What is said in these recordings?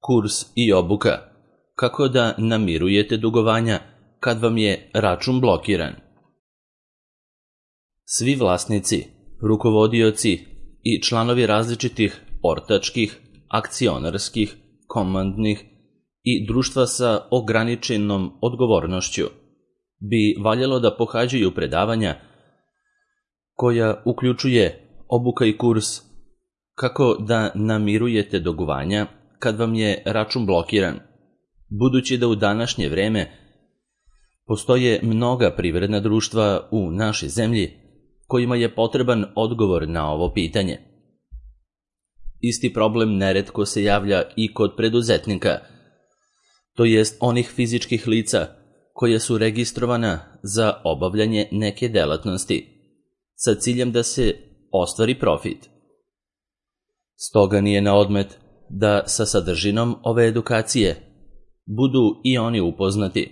Kurs i obuka. Kako da namirujete dugovanja kad vam je račun blokiran? Svi vlasnici, rukovodioci i članovi različitih ortačkih, akcionarskih, komandnih i društva sa ograničenom odgovornošću bi valjalo da pohađaju predavanja koja uključuje obuka i kurs kako da namirujete dugovanja kad vam je račun blokiran, budući da u današnje vreme postoje mnoga privredna društva u našoj zemlji kojima je potreban odgovor na ovo pitanje. Isti problem neretko se javlja i kod preduzetnika, to jest onih fizičkih lica koja su registrovana za obavljanje neke delatnosti sa ciljem da se ostvari profit. Stoga nije na odmet da sa sadržinom ove edukacije budu i oni upoznati,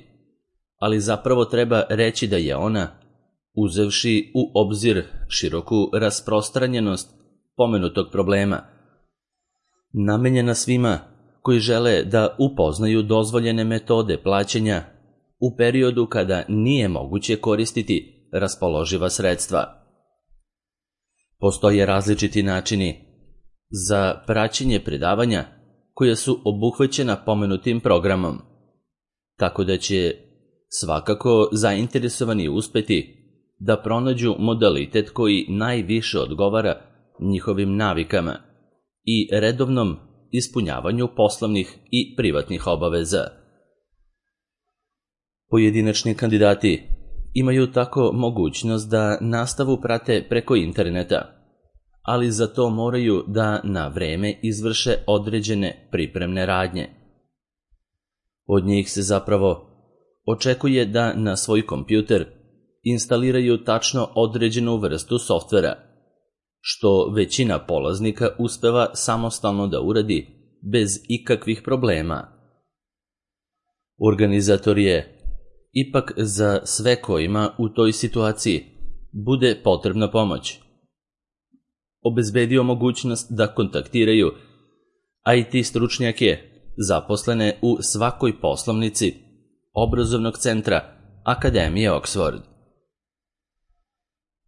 ali zapravo treba reći da je ona, uzevši u obzir široku rasprostranjenost pomenutog problema, namenjena svima koji žele da upoznaju dozvoljene metode plaćanja u periodu kada nije moguće koristiti raspoloživa sredstva. Postoje različiti načini za praćenje predavanja koja su obuhvaćena pomenutim programom, tako da će svakako zainteresovani uspeti da pronađu modalitet koji najviše odgovara njihovim navikama i redovnom ispunjavanju poslovnih i privatnih obaveza. Pojedinačni kandidati imaju tako mogućnost da nastavu prate preko interneta, ali za to moraju da na vreme izvrše određene pripremne radnje. Od njih se zapravo očekuje da na svoj kompjuter instaliraju tačno određenu vrstu softvera, što većina polaznika uspeva samostalno da uradi bez ikakvih problema. Organizator je, ipak za sve kojima u toj situaciji bude potrebna pomoć, obezbedio mogućnost da kontaktiraju IT stručnjake zaposlene u svakoj poslovnici obrazovnog centra Akademije Oxford.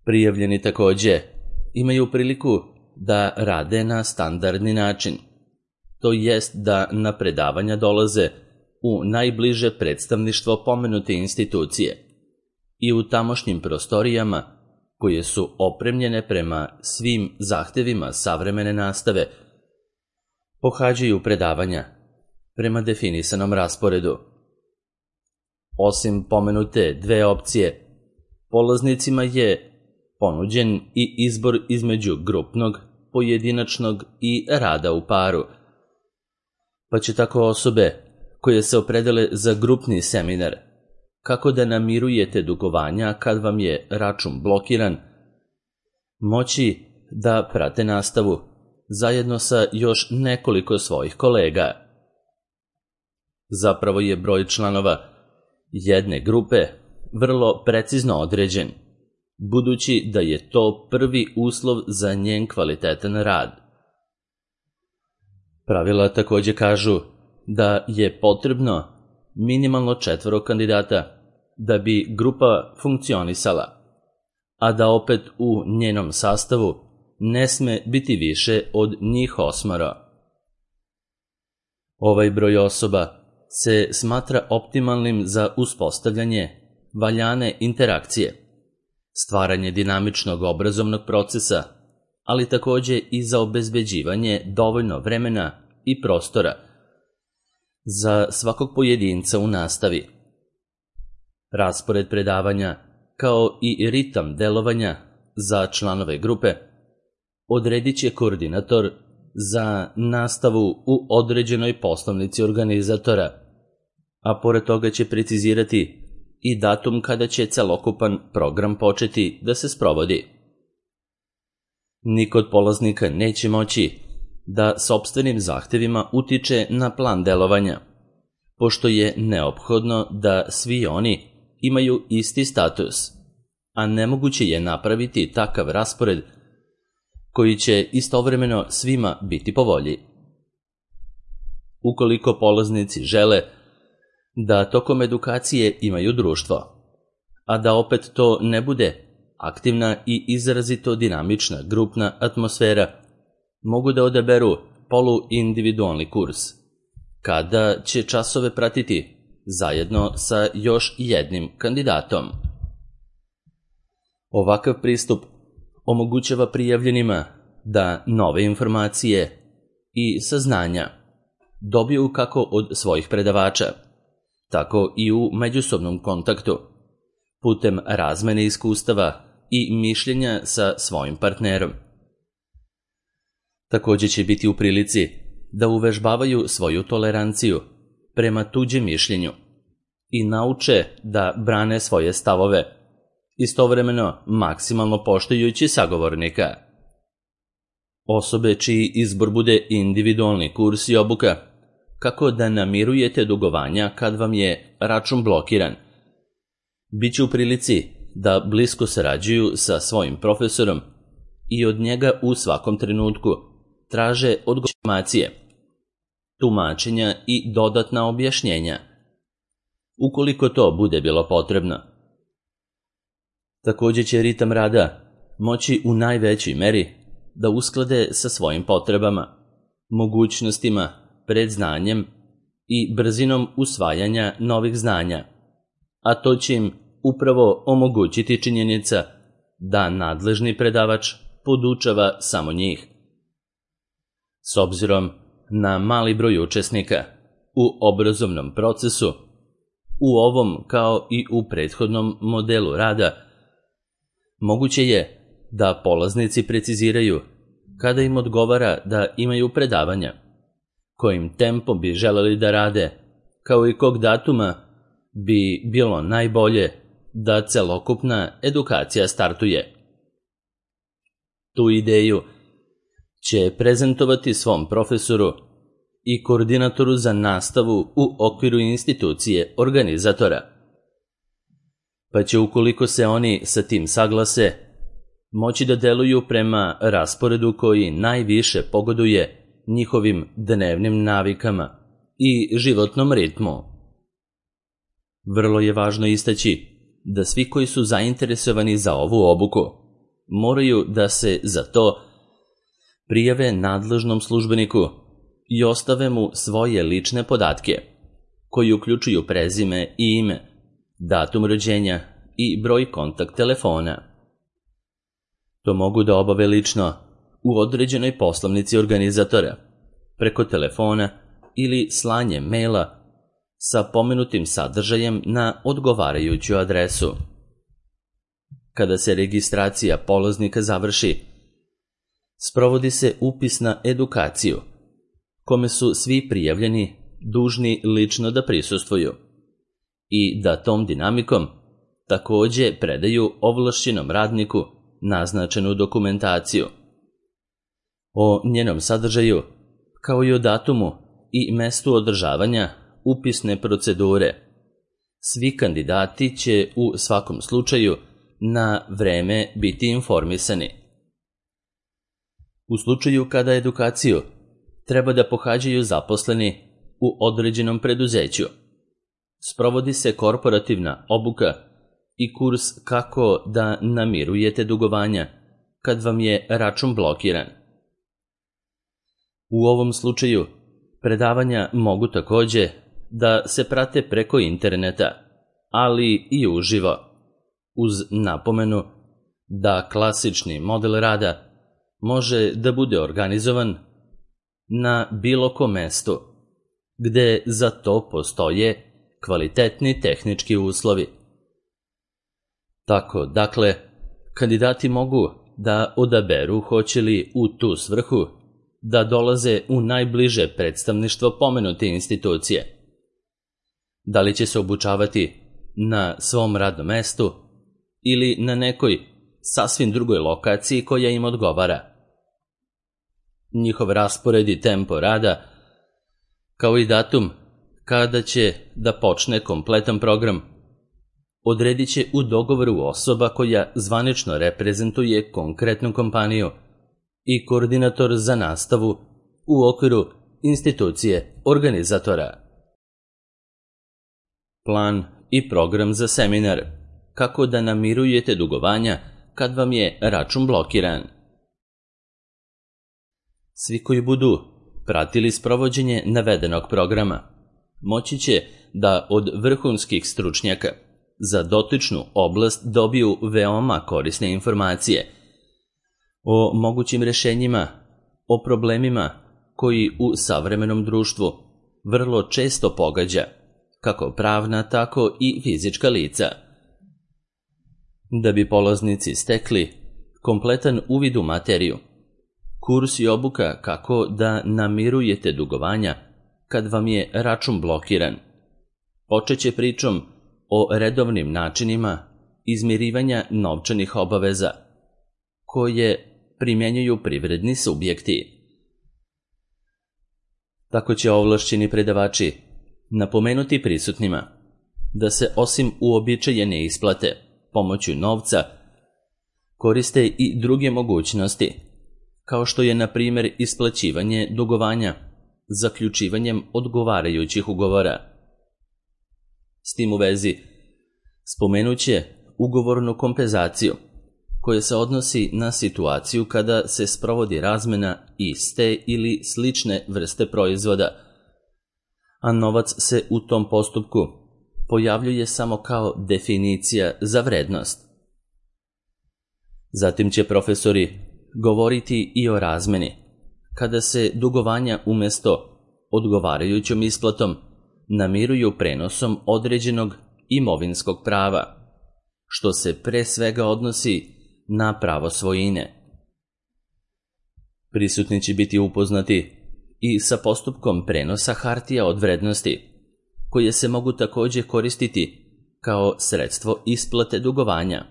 Prijavljeni takođe imaju priliku da rade na standardni način, to jest da na predavanja dolaze u najbliže predstavništvo pomenute institucije i u tamošnjim prostorijama koje su opremljene prema svim zahtevima savremene nastave, pohađaju predavanja prema definisanom rasporedu. Osim pomenute dve opcije, polaznicima je ponuđen i izbor između grupnog, pojedinačnog i rada u paru, pa će tako osobe koje se opredele za grupni seminar kako da namirujete dugovanja kad vam je račun blokiran, moći da prate nastavu zajedno sa još nekoliko svojih kolega. Zapravo je broj članova jedne grupe vrlo precizno određen, budući da je to prvi uslov za njen kvalitetan rad. Pravila takođe kažu da je potrebno minimalno 4 kandidata da bi grupa funkcionisala, a da opet u njenom sastavu ne sme biti više od njih 8. Ovaj broj osoba se smatra optimalnim za uspostavljanje valjane interakcije, stvaranje dinamičnog obrazovnog procesa, ali takođe i za obezbeđivanje dovoljno vremena i prostora za svakog pojedinca u nastavi. Raspored predavanja, kao i ritam delovanja za članove grupe, odredit će koordinator za nastavu u određenoj poslovnici organizatora, a pored toga će precizirati i datum kada će celokupan program početi da se sprovodi. Niko od polaznika neće moći da sopstvenim zahtevima utiče na plan delovanja, pošto je neophodno da svi oni imaju isti status, a nemoguće je napraviti takav raspored koji će istovremeno svima biti po volji. ukoliko polaznici žele da tokom edukacije imaju društvo, a da opet to ne bude aktivna i izrazito dinamična grupna atmosfera, mogu da odaberu poluindividualni kurs, kada će časove pratiti zajedno sa još jednim kandidatom. Ovakav pristup omogućava prijavljenima da nove informacije i saznanja dobiju kako od svojih predavača, tako i u međusobnom kontaktu, putem razmene iskustava i mišljenja sa svojim partnerom. Također će biti u prilici da uvežbavaju svoju toleranciju prema tuđem mišljenju i nauče da brane svoje stavove, istovremeno maksimalno poštujući sagovornika. Osobe čiji izbor bude individualni kurs i obuka, kako da namirujete dugovanja kad vam je račun blokiran, bit će u prilici da blisko sarađuju sa svojim profesorom i od njega u svakom trenutku traže informacije, tumačenja i dodatna objašnjenja, ukoliko to bude bilo potrebno. Također će ritam rada moći u najvećoj meri da usklade sa svojim potrebama, mogućnostima, predznanjem i brzinom usvajanja novih znanja, a to će im upravo omogućiti činjenica da nadležni predavač podučava samo njih. S obzirom na mali broj učesnika u obrazovnom procesu, u ovom kao i u prethodnom modelu rada, moguće je da polaznici preciziraju kada im odgovara da imaju predavanja, kojim tempom bi želeli da rade, kao i kog datuma bi bilo najbolje da celokupna edukacija startuje. Tu ideju će prezentovati svom profesoru i koordinatoru za nastavu u okviru institucije organizatora, pa će, ukoliko se oni sa tim saglase, moći da deluju prema rasporedu koji najviše pogoduje njihovim dnevnim navikama i životnom ritmu. Vrlo je važno istaći da svi koji su zainteresovani za ovu obuku moraju da se za to prijave nadležnom službeniku i ostave mu svoje lične podatke, koji uključuju prezime i ime, datum rođenja i broj kontakt telefona. To mogu da obave lično u određenoj poslovnici organizatora, preko telefona ili slanjem maila sa pomenutim sadržajem na odgovarajuću adresu. Kada se registracija polaznika završi, sprovodi se upis na edukaciju, kome su svi prijavljeni dužni lično da prisustvuju i da tom dinamikom također predaju ovlašćenom radniku naznačenu dokumentaciju. O njenom sadržaju, kao i o datumu i mestu održavanja upisne procedure, svi kandidati će u svakom slučaju na vreme biti informisani. U slučaju kada edukaciju treba da pohađaju zaposleni u određenom preduzeću, sprovodi se korporativna obuka i kurs kako da namirujete dugovanja kad vam je račun blokiran. U ovom slučaju predavanja mogu također da se prate preko interneta, ali i uživo, uz napomenu da klasični model rada može da bude organizovan na bilo kom mestu, gde za to postoje kvalitetni tehnički uslovi. Tako, dakle, kandidati mogu da odaberu hoće li u tu svrhu da dolaze u najbliže predstavništvo pomenute institucije. Da li će se obučavati na svom radnom mestu ili na nekoj sasvim drugoj lokaciji koja im odgovara. Njihov raspored i tempo rada, kao i datum kada će da počne kompletan program, odredit će u dogovoru osoba koja zvanično reprezentuje konkretnu kompaniju i koordinator za nastavu u okviru institucije organizatora. Plan i program za seminar. Kako da namirujete dugovanja kad vam je račun blokiran. Svi koji budu pratili sprovođenje navedenog programa moći će da od vrhunskih stručnjaka za dotičnu oblast dobiju veoma korisne informacije o mogućim rješenjima, o problemima koji u savremenom društvu vrlo često pogađa kako pravna, tako i fizička lica. Da bi polaznici stekli kompletan uvid u materiju, kurs i obuka kako da namirujete dugovanja kad vam je račun blokiran počeće pričom o redovnim načinima izmirivanja novčanih obaveza koje primjenjuju privredni subjekti. Tako će ovlašćeni predavači napomenuti prisutnima da se osim uobičajene isplate pomoću novca koriste i druge mogućnosti, kao što je na primjer isplaćivanje dugovanja zaključivanjem odgovarajućih ugovora. S tim u vezi spomenut će ugovornu kompenzaciju koja se odnosi na situaciju kada se sprovodi razmena iste ili slične vrste proizvoda, a novac se u tom postupku pojavljuje samo kao definicija za vrednost. Zatim će profesori govoriti i o razmeni, kada se dugovanja umjesto odgovarajućom isplatom namiruju prenosom određenog imovinskog prava, što se pre svega odnosi na pravo svojine. Prisutni će biti upoznati i sa postupkom prenosa hartija od vrednosti, koje se mogu također koristiti kao sredstvo isplate dugovanja,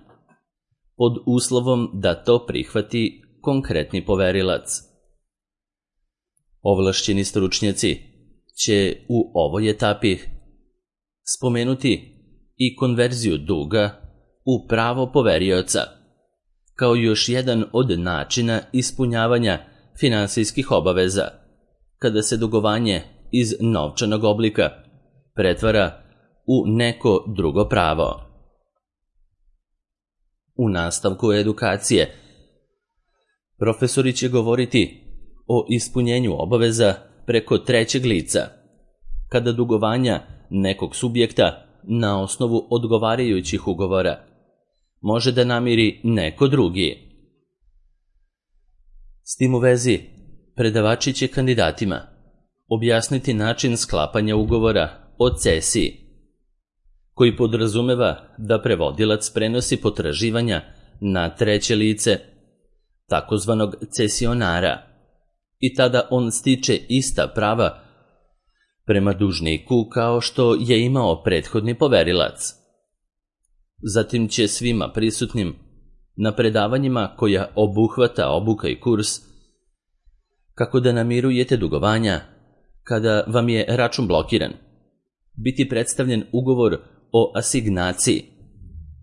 pod uslovom da to prihvati konkretni poverilac. Ovlašćeni stručnjaci će u ovoj etapi spomenuti i konverziju duga u pravo poverioca, kao još jedan od načina ispunjavanja finansijskih obaveza, kada se dugovanje iz novčanog oblika pretvara u neko drugo pravo. U nastavku edukacije profesori će govoriti o ispunjenju obaveza preko trećeg lica, kada dugovanja nekog subjekta na osnovu odgovarajućih ugovora može da namiri neko drugi. S tim u vezi, predavači će kandidatima objasniti način sklapanja ugovora o cesiji, koji podrazumeva da prevodilac prenosi potraživanja na treće lice, takozvanog cesionara, i tada on stiče ista prava prema dužniku kao što je imao prethodni poverilac. Zatim će svima prisutnim na predavanjima koja obuhvata obuka i kurs kako da namirujete dugovanja kada vam je račun blokiran biti predstavljen ugovor o asignaciji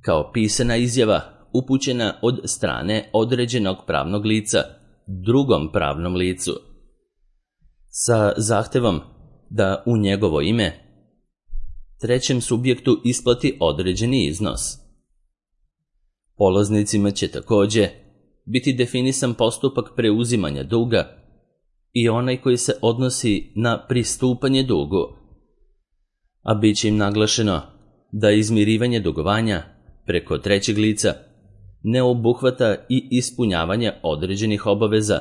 kao pisana izjava upućena od strane određenog pravnog lica drugom pravnom licu sa zahtevom da u njegovo ime trećem subjektu isplati određeni iznos. Polaznicima će također biti definisan postupak preuzimanja duga i onaj koji se odnosi na pristupanje dugu, a bit će im naglašeno da izmirivanje dugovanja preko trećeg lica ne obuhvata i ispunjavanje određenih obaveza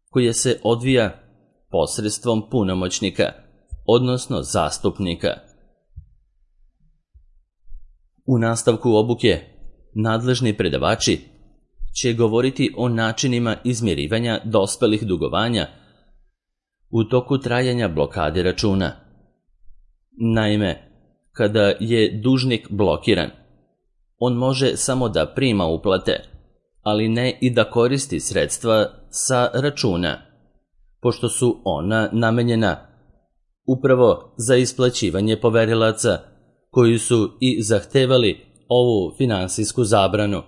koje se odvija posredstvom punomoćnika, odnosno zastupnika. U nastavku obuke nadležni predavači će govoriti o načinima izmirivanja dospelih dugovanja u toku trajanja blokade računa. Naime, kada je dužnik blokiran, on može samo da prima uplate, ali ne i da koristi sredstva sa računa, pošto su ona namenjena upravo za isplaćivanje poverilaca koji su i zahtevali ovu finansijsku zabranu.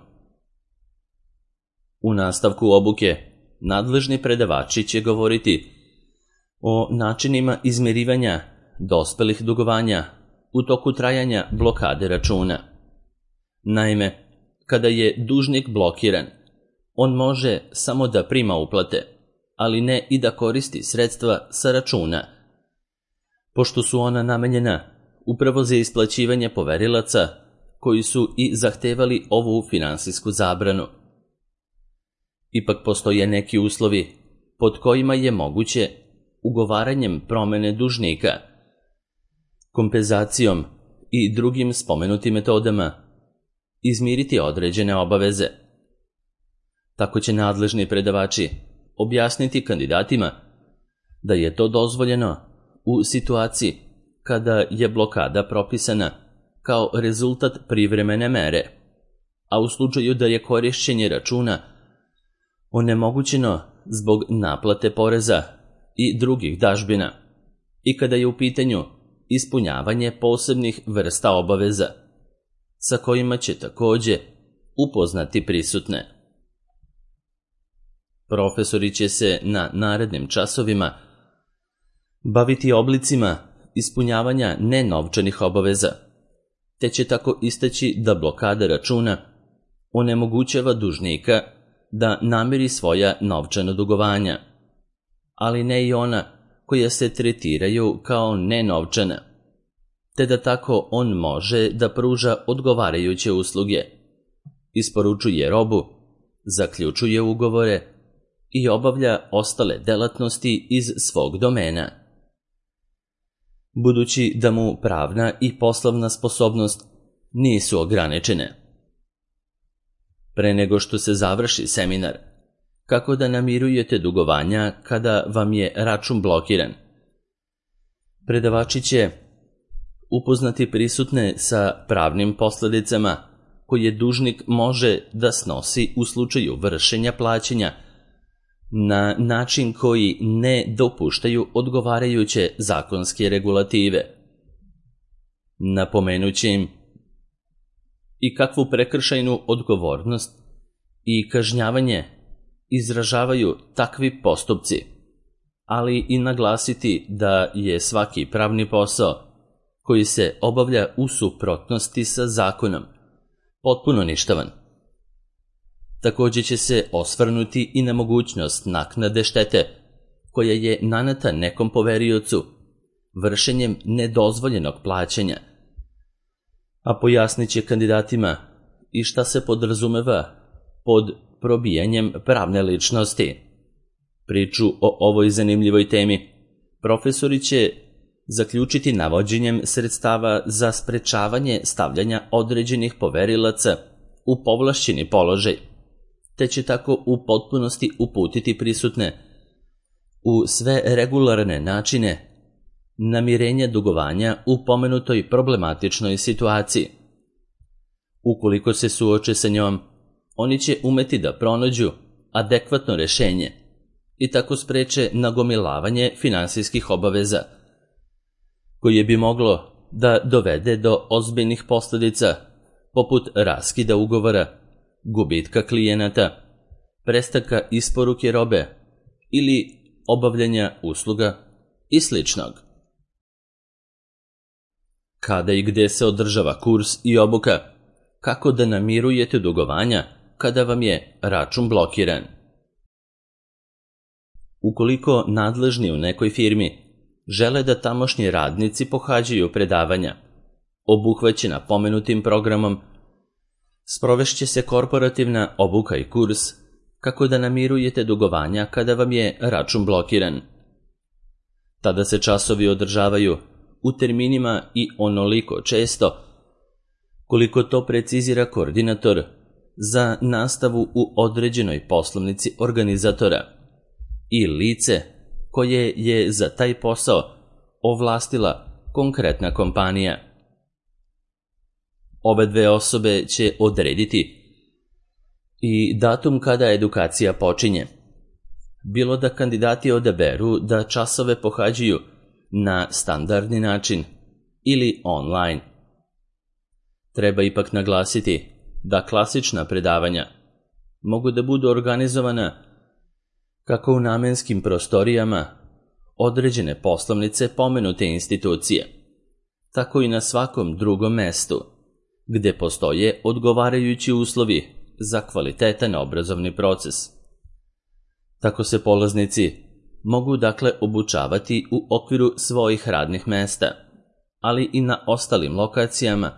U nastavku obuke nadležni predavači će govoriti o načinima izmirivanja dospelih dugovanja u toku trajanja blokade računa. Naime, kada je dužnik blokiran, on može samo da prima uplate, ali ne i da koristi sredstva sa računa, pošto su ona namenjena upravo za isplaćivanje poverilaca koji su i zahtevali ovu finansijsku zabranu. Ipak postoje neki uslovi pod kojima je moguće ugovaranjem promene dužnika, kompenzacijom i drugim spomenutim metodama izmiriti određene obaveze. Tako će nadležni predavači objasniti kandidatima da je to dozvoljeno u situaciji kada je blokada propisana kao rezultat privremene mere, a u slučaju da je korišćenje računa onemogućeno zbog naplate poreza i drugih dažbina i kada je u pitanju ispunjavanje posebnih vrsta obaveza, sa kojima će takođe upoznati prisutne. Profesori će se na narednim časovima baviti oblicima ispunjavanja nenovčanih obaveza, te će tako istaći da blokada računa onemogućava dužnika da namiri svoja novčana dugovanja, ali ne i ona koja se tretiraju kao nenovčana, te da tako on može da pruža odgovarajuće usluge, isporučuje robu, zaključuje ugovore i obavlja ostale delatnosti iz svog domena. Budući da mu pravna i poslovna sposobnost nisu ograničene. Pre nego što se završi seminar, kako da namirujete dugovanja kada vam je račun blokiran, predavači će upoznati prisutne sa pravnim posledicama koje dužnik može da snosi u slučaju vršenja plaćanja na način koji ne dopuštaju odgovarajuće zakonske regulative. Napomenući im i kakvu prekršajnu odgovornost i kažnjavanje izražavaju takvi postupci, ali i naglasiti da je svaki pravni posao koji se obavlja u suprotnosti sa zakonom potpuno ništavan. Takođe će se osvrnuti i na mogućnost naknade štete koja je naneta nekom poveriocu vršenjem nedozvoljenog plaćanja, a pojasnit će kandidatima i šta se podrazumeva pod probijanjem pravne ličnosti. Priču o ovoj zanimljivoj temi profesori će zaključiti navođenjem sredstava za sprečavanje stavljanja određenih poverilaca u povlašćeni položaj, te će tako u potpunosti uputiti prisutne u sve regularne načine namirenja dugovanja u pomenutoj problematičnoj situaciji. Ukoliko se suoče sa njom, oni će umeti da pronađu adekvatno rešenje i tako spreče nagomilavanje finansijskih obaveza, koje bi moglo da dovede do ozbiljnih posledica poput raskida ugovora, gubitka klijenata, prestanka isporuke robe ili obavljanja usluga i sličnog. Kada i gde se održava kurs i obuka, kako da namirujete dugovanja kada vam je račun blokiran? Ukoliko nadležni u nekoj firmi žele da tamošnji radnici pohađaju predavanja obuhvaćena pomenutim programom, sprovešće se korporativna obuka i kurs kako da namirujete dugovanja kada vam je račun blokiran. Tada se časovi održavaju u terminima i onoliko često koliko to precizira koordinator za nastavu u određenoj poslovnici organizatora i lice koje je za taj posao ovlastila konkretna kompanija. Ove dve osobe će odrediti i datum kada edukacija počinje, bilo da kandidati odaberu da časove pohađaju na standardni način ili online. Treba ipak naglasiti da klasična predavanja mogu da budu organizovana kako u namenskim prostorijama, određene poslovnice pomenute institucije, tako i na svakom drugom mestu, gde postoje odgovarajući uslovi za kvalitetan obrazovni proces. Tako se polaznici mogu dakle obučavati u okviru svojih radnih mesta, ali i na ostalim lokacijama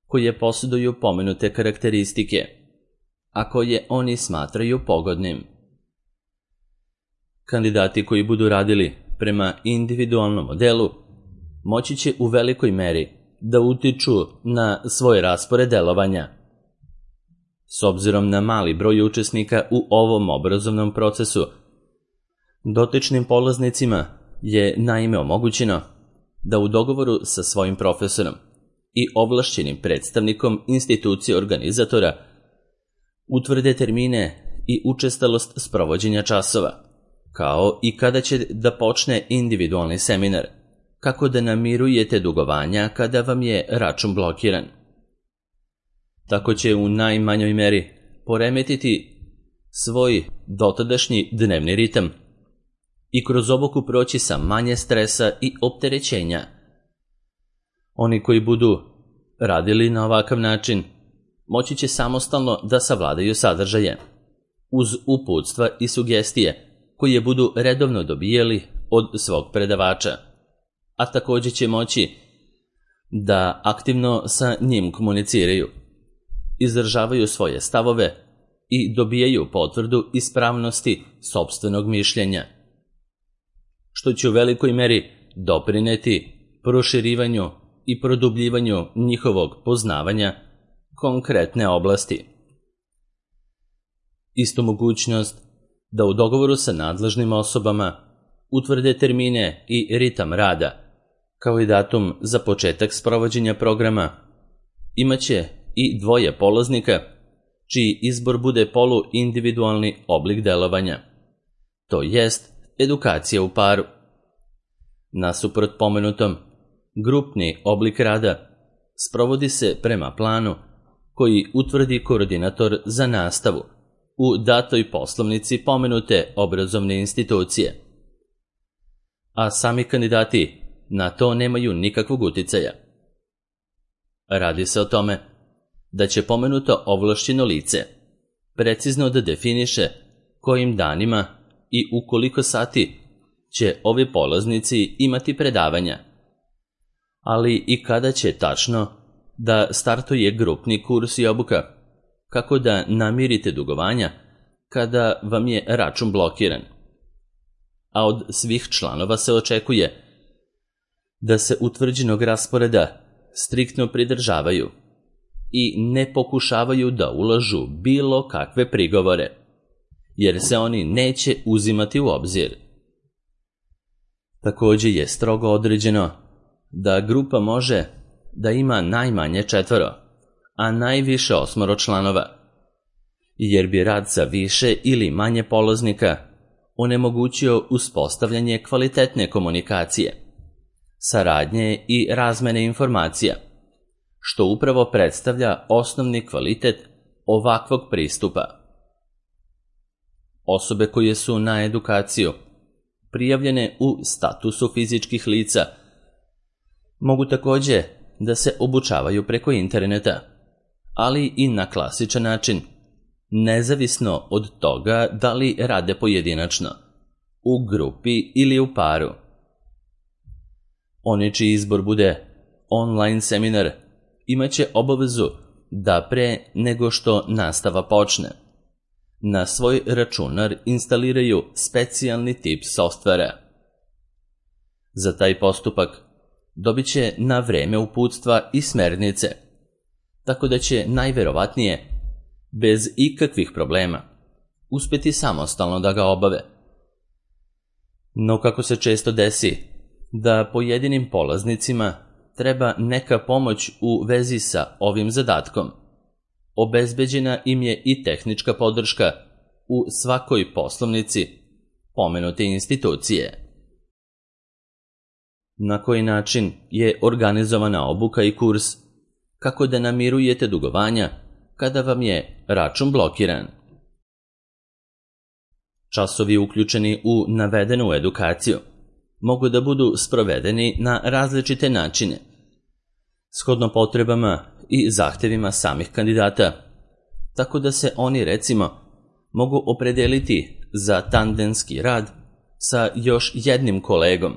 koje posjeduju pomenute karakteristike, a koje oni smatraju pogodnim. Kandidati koji budu radili prema individualnom modelu moći će u velikoj meri da utiču na svoj raspored delovanja. S obzirom na mali broj učesnika u ovom obrazovnom procesu, dotičnim polaznicima je naime omogućeno da u dogovoru sa svojim profesorom i ovlašćenim predstavnikom institucije organizatora utvrde termine i učestalost sprovođenja časova, kao i kada će da počne individualni seminar, kako da namirujete dugovanja kada vam je račun blokiran. Tako će u najmanjoj meri poremetiti svoj dotadašnji dnevni ritam i kroz obuku proći sa manje stresa i opterećenja. Oni koji budu radili na ovakav način moći će samostalno da savladaju sadržaje, uz uputstva i sugestije koje budu redovno dobijali od svog predavača, a također će moći da aktivno sa njim komuniciraju, izražavaju svoje stavove i dobijaju potvrdu ispravnosti sopstvenog mišljenja, što će u velikoj meri doprineti proširivanju i produbljivanju njihovog poznavanja konkretne oblasti. Istu mogućnost da u dogovoru sa nadležnim osobama utvrde termine i ritam rada, kao i datum za početak sprovođenja programa, imaće i dvoje polaznika čiji izbor bude poluindividualni oblik delovanja, to jest edukacija u paru. Nasuprot pomenutom, grupni oblik rada sprovodi se prema planu koji utvrdi koordinator za nastavu u datoj poslovnici pomenute obrazovne institucije, a sami kandidati na to nemaju nikakvog uticaja. Radi se o tome da će pomenuto ovlašćeno lice precizno da definiše kojim danima i u koliko sati će ovi polaznici imati predavanja, ali i kada će tačno da startuje grupni kurs i obuka, kako da namirite dugovanja kada vam je račun blokiran. A od svih članova se očekuje da se utvrđenog rasporeda striktno pridržavaju i ne pokušavaju da ulažu bilo kakve prigovore, jer se oni neće uzimati u obzir. Također je strogo određeno da grupa može da ima najmanje 4, a najviše 8 članova, jer bi rad sa više ili manje polaznika onemogućio uspostavljanje kvalitetne komunikacije, saradnje i razmene informacija, što upravo predstavlja osnovni kvalitet ovakvog pristupa. Osobe koje su na edukaciju prijavljene u statusu fizičkih lica mogu također da se obučavaju preko interneta, ali i na klasičan način, nezavisno od toga da li rade pojedinačno, u grupi ili u paru. Oni čiji izbor bude online seminar imaće obavezu da pre nego što nastava počne, na svoj računar instaliraju specijalni tip softvera. Za taj postupak dobit će na vreme uputstva i smernice, tako da će najverovatnije, bez ikakvih problema, uspjeti samostalno da ga obave. No kako se često desi da pojedinim polaznicima treba neka pomoć u vezi sa ovim zadatkom, obezbeđena im je i tehnička podrška u svakoj poslovnici pomenute institucije. Na koji način je organizovana obuka i kurs, kako da namirujete dugovanja kada vam je račun blokiran? Časovi uključeni u navedenu edukaciju mogu da budu sprovedeni na različite načine, shodno potrebama i zahtevima samih kandidata, tako da se oni, recimo, mogu opredeliti za tandemski rad sa još jednim kolegom,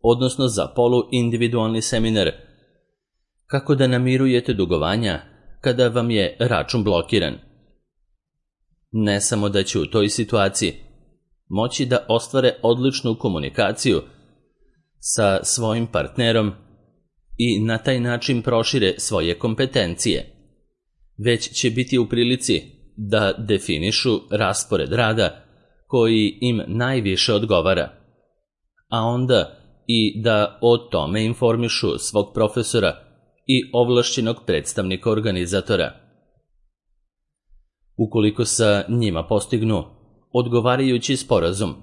odnosno za poluindividualni seminar, kako da namirujete dugovanja kada vam je račun blokiran. Ne samo da će u toj situaciji moći da ostvare odličnu komunikaciju sa svojim partnerom i na taj način prošire svoje kompetencije, već će biti u prilici da definišu raspored rada koji im najviše odgovara, a onda i da o tome informišu svog profesora i ovlašćenog predstavnika organizatora. Ukoliko sa njima postignu odgovarajući sporazum,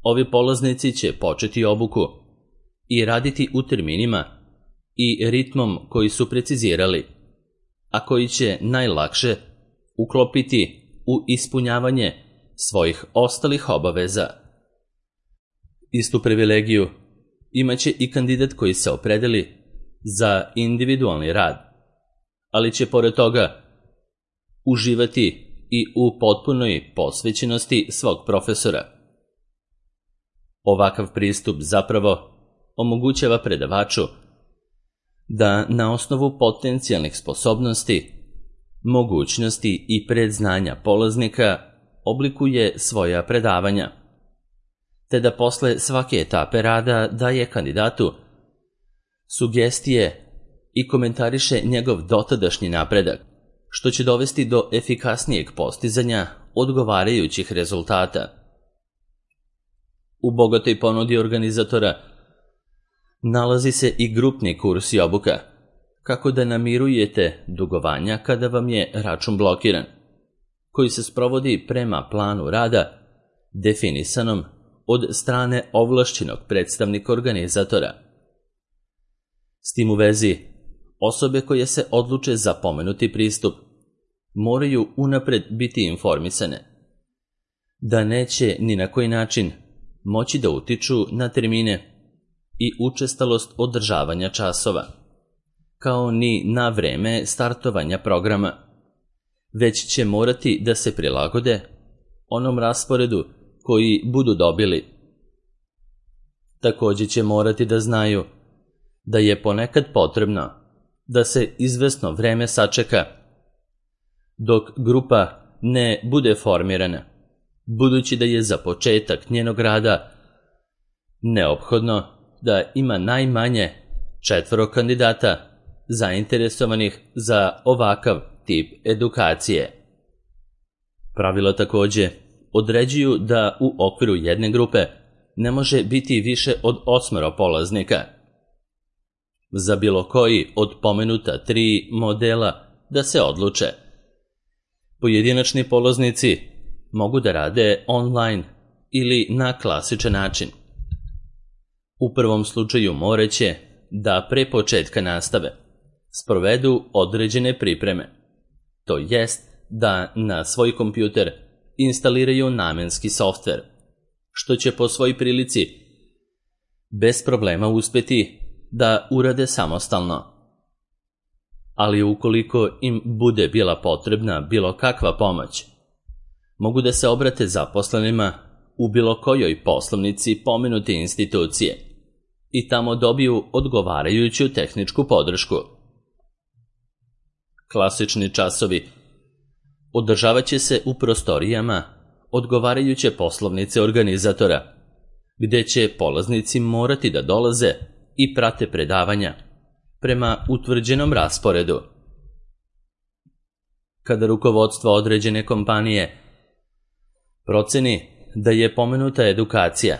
ovi polaznici će početi obuku i raditi u terminima i ritmom koji su precizirali, a koji će najlakše uklopiti u ispunjavanje svojih ostalih obaveza. Istu privilegiju imaće i kandidat koji se opredeli za individualni rad, ali će pored toga uživati i u potpunoj posvećenosti svog profesora. Ovakav pristup zapravo omogućava predavaču da na osnovu potencijalnih sposobnosti, mogućnosti i predznanja polaznika oblikuje svoja predavanja, te da posle svake etape rada daje kandidatu sugestije i komentariše njegov dotadašnji napredak, što će dovesti do efikasnijeg postizanja odgovarajućih rezultata. U bogatoj ponudi organizatora nalazi se i grupni kurs i obuka, kako da namirujete dugovanja kada vam je račun blokiran, koji se sprovodi prema planu rada definisanom od strane ovlašćenog predstavnika organizatora. S tim u vezi, osobe koje se odluče za pomenuti pristup moraju unapred biti informisane da neće ni na koji način moći da utiču na termine i učestalost održavanja časova, kao ni na vreme startovanja programa, već će morati da se prilagode onom rasporedu koji budu dobili. Također će morati da znaju da je ponekad potrebno da se izvesno vreme sačeka dok grupa ne bude formirana, budući da je za početak njenog rada neophodno da ima najmanje 4 kandidata zainteresovanih za ovakav tip edukacije. Pravila također određuju da u okviru jedne grupe ne može biti više od 8 polaznika. Za bilo koji od pomenuta 3 modela da se odluče. Pojedinačni polaznici mogu da rade online ili na klasičan način. U prvom slučaju moraće da pre početka nastave sprovedu određene pripreme, to jest da na svoj kompjuter instaliraju namenski softver, što će po svojoj prilici bez problema uspeti da urade samostalno. Ali ukoliko im bude bila potrebna bilo kakva pomoć, mogu da se obrate zaposlenima u bilo kojoj poslovnici pomenute institucije i tamo dobiju odgovarajuću tehničku podršku. Klasični časovi održavat će se u prostorijama odgovarajuće poslovnice organizatora, gde će polaznici morati da dolaze i prate predavanja prema utvrđenom rasporedu. Kada rukovodstvo određene kompanije proceni da je pomenuta edukacija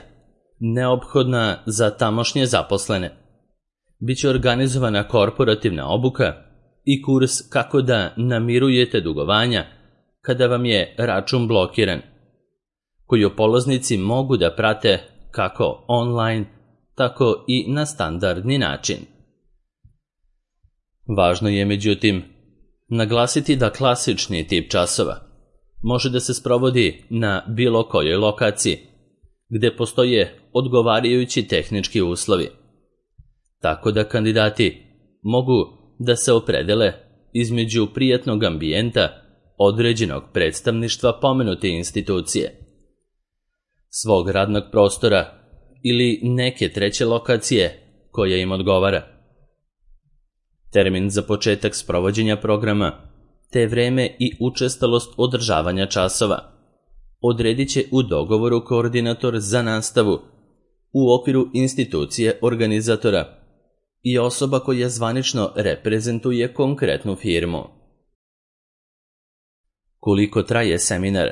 neophodna za tamošnje zaposlene, biće organizovana korporativna obuka i kurs kako da namirujete dugovanja kada vam je račun blokiran, koju polaznici mogu da prate kako online, tako i na standardni način. Važno je, međutim, naglasiti da klasični tip časova može da se sprovodi na bilo kojoj lokaciji, gde postoje odgovarajući tehnički uslovi, tako da kandidati mogu da se opredele između prijatnog ambijenta određenog predstavništva pomenute institucije, svog radnog prostora ili neke treće lokacije koja im odgovara. Termin za početak sprovođenja programa, te vreme i učestalost održavanja časova odredit će u dogovoru koordinator za nastavu u okviru institucije organizatora i osoba koja zvanično reprezentuje konkretnu firmu. Koliko traje seminar?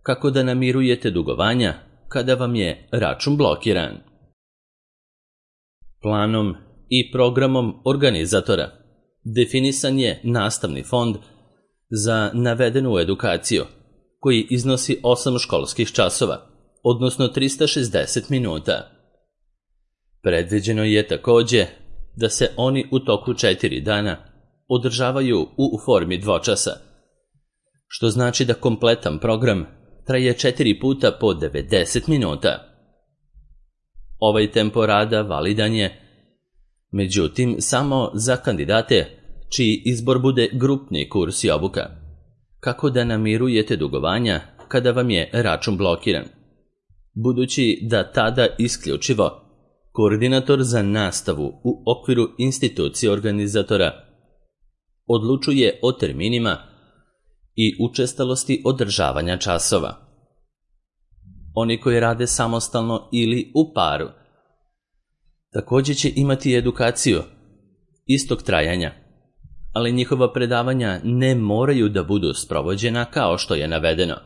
Kako da namirujete dugovanja kada vam je račun blokiran? Planom i programom organizatora definisan je nastavni fond za navedenu edukaciju, koji iznosi 8 školskih časova, odnosno 360 minuta. Predviđeno je takođe da se oni u toku 4 dana održavaju u formi dvočasa, što znači da kompletan program traje 4 puta po 90 minuta. Ovaj tempo rada validan je, međutim, samo za kandidate čiji izbor bude grupni kurs i obuka. Kako da namirujete dugovanja kada vam je račun blokiran? Budući da tada isključivo koordinator za nastavu u okviru institucije organizatora odlučuje o terminima i učestalosti održavanja časova. Oni koji rade samostalno ili u paru takođe će imati edukaciju istog trajanja, ali njihova predavanja ne moraju da budu sprovođena kao što je navedeno.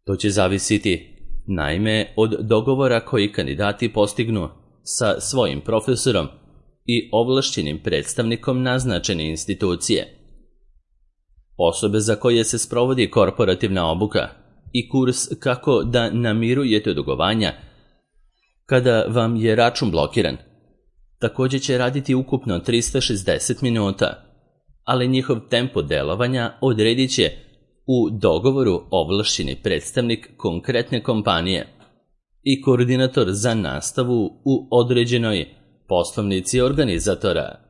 To će zavisiti, naime, od dogovora koji kandidati postignu sa svojim profesorom i ovlašćenim predstavnikom naznačene institucije. Osobe za koje se sprovodi korporativna obuka i kurs kako da namirujete dugovanja kada vam je račun blokiran takođe će raditi ukupno 360 minuta, ali njihov tempo delovanja odredit će u dogovoru ovlašćeni predstavnik konkretne kompanije i koordinator za nastavu u određenoj poslovnici organizatora.